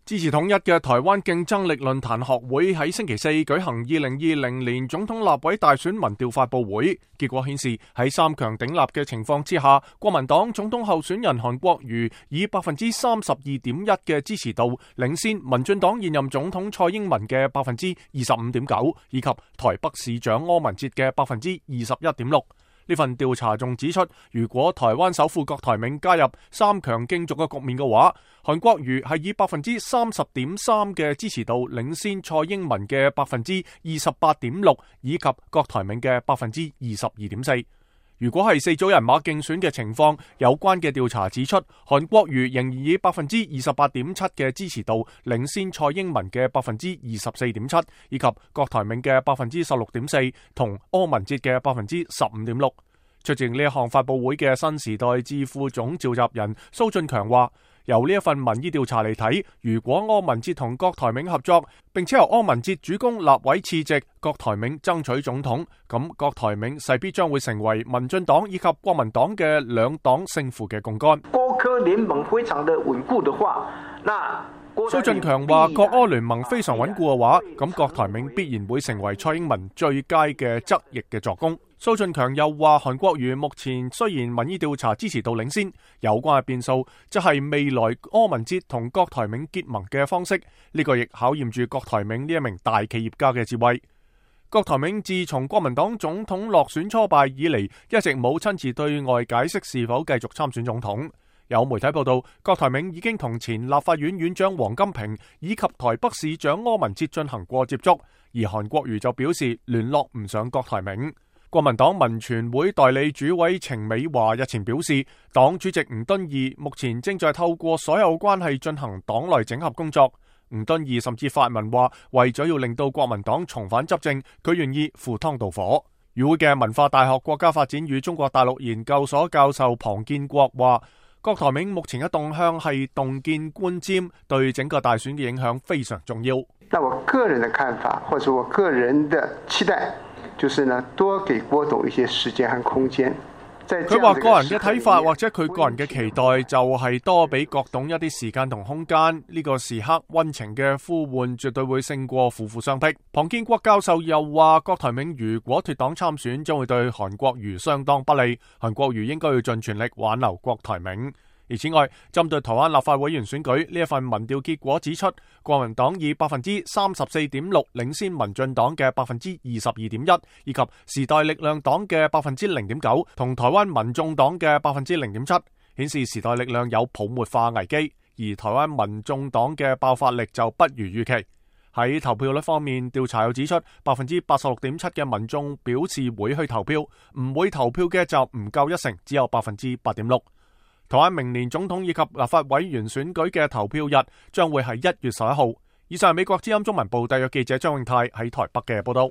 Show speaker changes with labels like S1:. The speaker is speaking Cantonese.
S1: 支持統一嘅台灣競爭力論壇學會喺星期四舉行2020年總統立委大選民調發佈會，結果顯示喺三強鼎立嘅情況之下，國民黨總統候選人韓國瑜以 32.1% 嘅支持度領先民進黨現任總統蔡英文嘅 25.9%， 以及台北市長柯文哲嘅 21.6%。呢份調查仲指出，如果台灣首富郭台銘加入三強競逐嘅局面嘅話，韓國瑜係以 30.3% 嘅支持度領先蔡英文嘅 28.6%， 以及郭台銘嘅 22.4%。如果係四組人馬競選嘅情況，有關嘅調查指出，韓國瑜仍然以 28.7% 嘅支持度領先蔡英文嘅 24.7%， 以及郭台銘嘅 16.4% 同柯文哲嘅 15.6%。出席呢一項發佈會嘅新時代智庫總召集人蘇俊強話，由呢一份民意調查嚟睇，如果柯文哲同郭台銘合作，並且由柯文哲主攻立委次席，郭台銘爭取總統，咁郭台銘勢必將會成為民進黨以及國民黨嘅兩黨勝負嘅槓桿。
S2: 郭柯聯盟非常的穩固的話，
S1: 蘇俊強話，郭柯聯盟非常穩固嘅話，咁郭台銘必然會成為蔡英文最佳嘅側翼嘅助攻。蘇俊強又話，韓國瑜目前雖然民意調查支持度領先，有關嘅變數即係未來柯文哲同郭台銘結盟嘅方式，呢個亦考驗住郭台銘呢一名大企業家嘅智慧。郭台銘自從國民黨總統落選初敗以嚟，一直冇親自對外解釋是否繼續參選總統。有媒體報道，郭台銘已經同前立法院院長王金平以及台北市長柯文哲進行過接觸，而韓國瑜就表示聯絡唔上郭台銘。國民黨民權會代理主委程美華日前表示，黨主席吳敦義目前正在透過所有關係進行黨內整合工作。吳敦義甚至發文話，為咗要令到國民黨重返執政，佢願意赴湯蹈火。與會嘅文化大學國家發展與中國大陸研究所教授龐建國話，郭台銘目前嘅動向係洞見觀瞻，對整個大選嘅影響非常重要。
S3: 那我個人的看法，或者我個人的期待，就是呢，多給郭董一些時間和空間。
S1: 佢話個人嘅睇法或者佢個人嘅期待就係多俾郭董一啲時間同空間，呢個時刻溫情嘅呼喚絕對會勝過苦苦相逼。龐建國教授又話，郭台銘如果脫黨參選，將會對韓國瑜相當不利，韓國瑜應該要盡全力挽留郭台銘。而此外，針對台灣立法委員選舉呢一份民調結果指出，國民黨以 34.6% 領先民進黨嘅 22.1%， 以及時代力量黨嘅 0.9% 同台灣民眾黨嘅 0.7%， 顯示時代力量有泡沫化危機，而台灣民眾黨嘅爆發力就不如預期。喺投票率方面，調查又指出 86.7% 嘅民眾表示會去投票，唔會投票嘅就唔夠一成，只有 8.6%。台灣明年總統以及立法委員選舉嘅投票日將會係1月11號。以上係美國之音中文部特約記者張永泰喺台北嘅報道。